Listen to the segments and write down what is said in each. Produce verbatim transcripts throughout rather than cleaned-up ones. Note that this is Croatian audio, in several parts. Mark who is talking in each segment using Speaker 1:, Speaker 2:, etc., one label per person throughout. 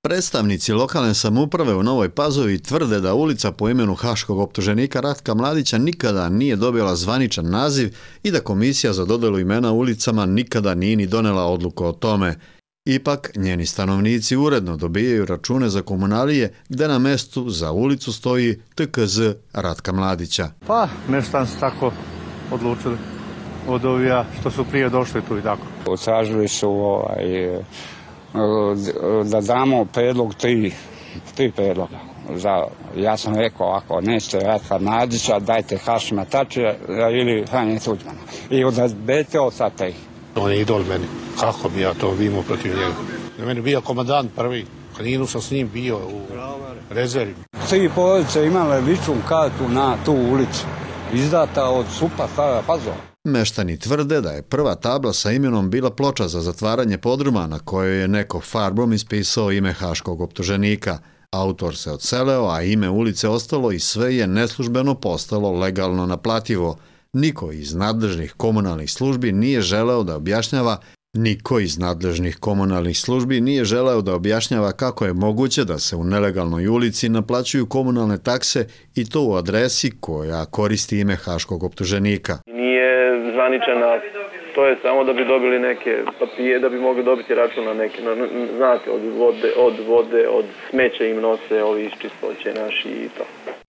Speaker 1: Predstavnici lokalne samouprave u Novoj Pazovi tvrde da ulica po imenu haškog optuženika Ratka Mladića nikada nije dobila zvaničan naziv i da komisija za dodelu imena ulicama nikada nije ni donela odluku o tome. Ipak, njeni stanovnici uredno dobijaju račune za komunalije gde na mestu za ulicu stoji T K Z Ratka Mladića.
Speaker 2: Pa, meštani su tako odlučili od ovija što su prije došli tu i tako.
Speaker 3: Tražili su ovaj, da damo predlog tri, tri predloga. Za, ja sam rekao, ako nećete Ratka Mladića, dajte Hašima Tačija ili Franje Tuđmana. I odazbete od sad tri.
Speaker 4: On je idol meni. Kako bi ja to imao protiv njega? Na meni bio komandant prvi. Kaninu sam s njim bio u rezervi.
Speaker 3: Tri porodice imale ličnu kartu na tu ulicu. Izdata od Supa Stara Pazova.
Speaker 1: Meštani tvrde da je prva tabla sa imenom bila ploča za zatvaranje podruma na kojoj je neko farbom ispisao ime haškog optuženika. Autor se odseleo, a ime ulice ostalo i sve je neslužbeno postalo legalno naplativo. Niko iz nadležnih komunalnih službi nije želeo da objašnjava Niko iz nadležnih komunalnih službi nije želeo da objašnjava kako je moguće da se u nelegalnoj ulici naplaćuju komunalne takse i to u adresi koja koristi ime haškog optuženika.
Speaker 5: Nije zvaničena, to je samo da bi dobili neke papije, da bi mogli dobiti račun na neke, na, znate, od vode, od vode, od smeća im nose ovi iz čistoće naši i to.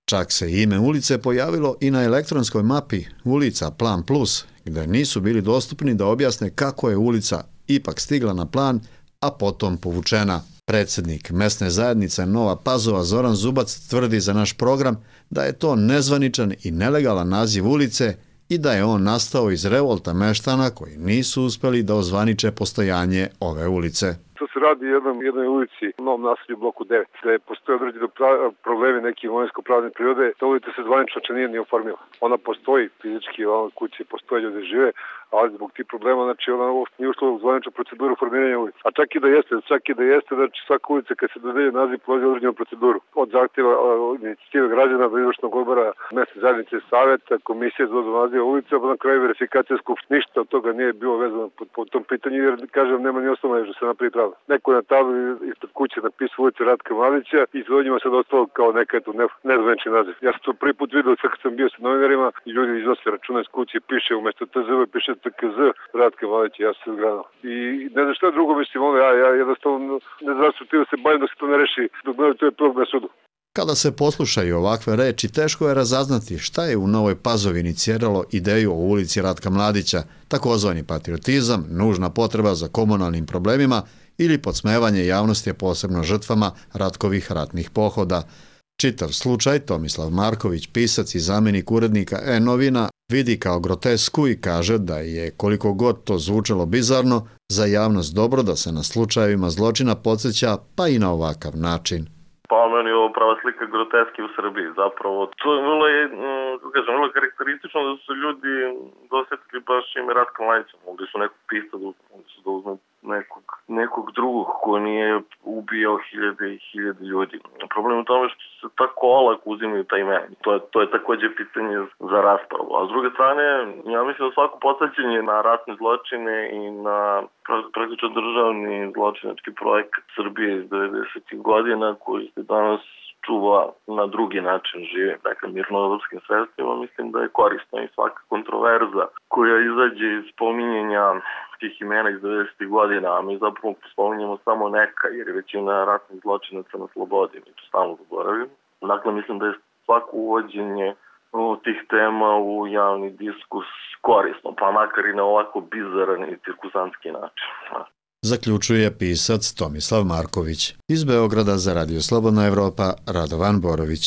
Speaker 1: Čak se ime ulice pojavilo i na elektronskoj mapi Ulica Plan Plus, gde nisu bili dostupni da objasne kako je ulica ipak stigla na plan, a potom povučena. Predsjednik mesne zajednice Nova Pazova Zoran Zubac tvrdi za naš program da je to nezvaničan i nelegalan naziv ulice i da je on nastao iz revolta meštana koji nisu uspeli da ozvaniče postojanje ove ulice.
Speaker 6: To se radi o jednoj, jednoj ulici u novom naselju u bloku devet, gde postoje određeni problemi neke imovinsko-pravne prirode. Ta ulica se zvanično nije ni oformila. Ona postoji fizički, ona kući postoje, ljudi žive, ali zbog tih problema, znači ona nije ušla u zvaničnu proceduru formiranja ulica. A čak i da jeste, čak i da jeste, znači svaka ulica kad se dodelje naziv prolazi određenu proceduru. Od zahtjeva inicijative građana do izvršnog odbora mesne zajednice saveta, komisije za dodelu naziva ulica, pa na kraju verifikacija skupština. Ništa od toga nije bilo vezano po, po tom pitanju, jer kažem nema ni osnova da se napravi pravda. Neko je na tabli ispred kuće napisao ulicu Ratka Mladića i za njima sad ostalo kao neka eto nezvanični naziv. Ja sam to prvi put vidio sad kad sam bio sa novinarima i ljudi iznose računa iz kuće, piše umjesto T Z V piše T K Z Ratka Mladića, ja sam se zgranao. I ne znam šta drugo mislim, ono, ja, ja jednostavno ne znam što ti da se bavim dok se to ne reši, dok ne to je prvog na sudu.
Speaker 1: Kada se poslušaju ovakve reči, teško je razaznati šta je u Novoj Pazovi iniciralo ideju o ulici Ratka Mladića, takozvani patriotizam, nužna potreba za komunalnim problemima ili podsmevanje javnosti, posebno žrtvama Ratkovih ratnih pohoda. Čitav slučaj Tomislav Marković, pisac i zamjenik urednika E-novina, vidi kao grotesku i kaže da je, koliko god to zvučalo bizarno, za javnost dobro da se na slučajevima zločina podsjeća pa i na ovakav način.
Speaker 7: Pa meni je ovo prava slika groteski u Srbiji zapravo. To je vrlo, kažem, vrlo karakteristično da su ljudi dosjetili baš ime Ratka Mladića. Mogli su nekog pisati, mogli su da uzme nekog, nekog drugog ko nije ubijao hiljade i hiljade ljudi. Problem je u tome što se tako olako uzimaju taj ime. To je, to je također pitanje za raspravu. A s druge strane, ja mislim da svako podsjećanje na ratne zločine i na praktično državni zločinački projekat Srbije iz devedesetih godina koji se danas čuva na drugi način žive, dakle mirnodopskim sredstvima, mislim da je korisno i svaka kontroverza koja izađe iz spominjenja tih imena iz devedesetih godina, a mi zapravo spominjemo samo neka, jer je većina ratnih zločinaca na slobodi, mi to stalno zaboravimo. Dakle, mislim da je svako uvođenje tih tema u javni diskurs korisno, pa makar i na ovako bizaran i cirkusantski način.
Speaker 1: Zaključuje pisac Tomislav Marković. Iz Beograda za Radio Slobodna Evropa, Radovan Borović.